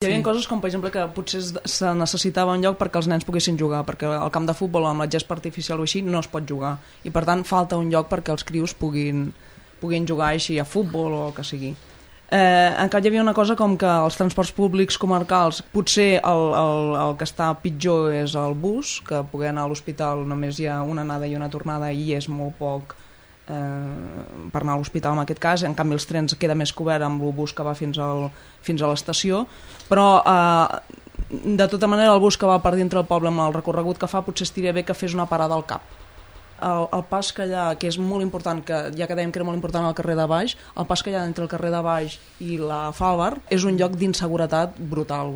Hi havia coses com, per exemple, que potser se necessitava un lloc perquè els nens poguessin jugar, perquè al camp de futbol amb la gespa artificial o així no es pot jugar, i per tant falta un lloc perquè els crios puguin jugar així a futbol o el que sigui. En canvi hi havia una cosa com que els transports públics comarcals, potser el que està pitjor és el bus, que poder anar a l'hospital només hi ha una anada i una tornada i és molt poc per anar a l'hospital en aquest cas. En canvi els trens queda més cobert amb el bus que va fins a l'estació, però de tota manera el bus que va per dintre del poble amb el recorregut que fa potser estaria bé que fes una parada al cap. El pas que hi ha, que és molt important, que ja que dèiem que era molt important al carrer de Baix, el pas que hi ha entre el carrer de Baix i la Fàlvar és un lloc d'inseguretat brutal.